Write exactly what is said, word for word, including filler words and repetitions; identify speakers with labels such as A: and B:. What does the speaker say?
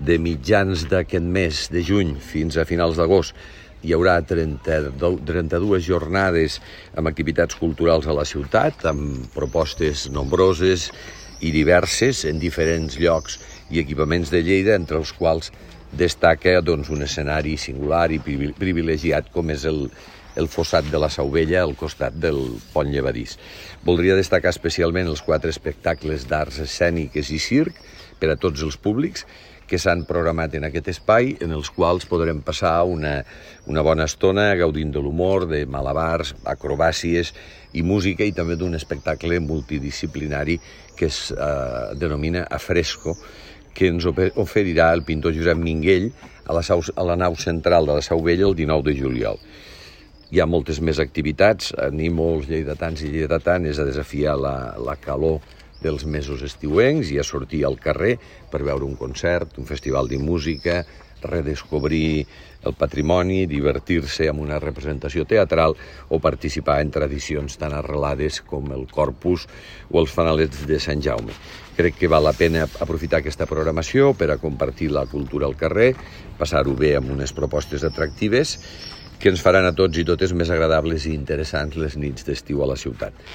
A: de mitjans d'aquest mes de juny fins a finals d'agost hi haurà trenta-dues jornades amb activitats culturals a la ciutat, amb propostes nombroses i diverses en diferents llocs i equipaments de Lleida, entre els quals destaca doncs, un escenari singular i privilegiat com és el, el fossat de la Sau Vella al costat del pont llevadís. Voldria destacar especialment els quatre espectacles d'arts escèniques i circ per a tots els públics que s'han programat en aquest espai, en els quals podrem passar una, una bona estona gaudint de l'humor, de malabars, acrobàcies i música, i també d'un espectacle multidisciplinari que es eh, denomina Afresco, que ens oferirà el pintor Josep Minguell a la, sau, a la nau central de la Sau Vella el dinou de juliol. Hi ha moltes més activitats, animo els lleidatans i lleidatanes a desafiar la, la calor dels mesos estiuencs i a sortir al carrer per veure un concert, un festival de música, redescobrir el patrimoni, divertir-se amb una representació teatral o participar en tradicions tan arrelades com el Corpus o els fanalets de Sant Jaume. Crec que val la pena aprofitar aquesta programació per a compartir la cultura al carrer, passar-ho bé amb unes propostes atractives que ens faran a tots i totes més agradables i interessants les nits d'estiu a la ciutat.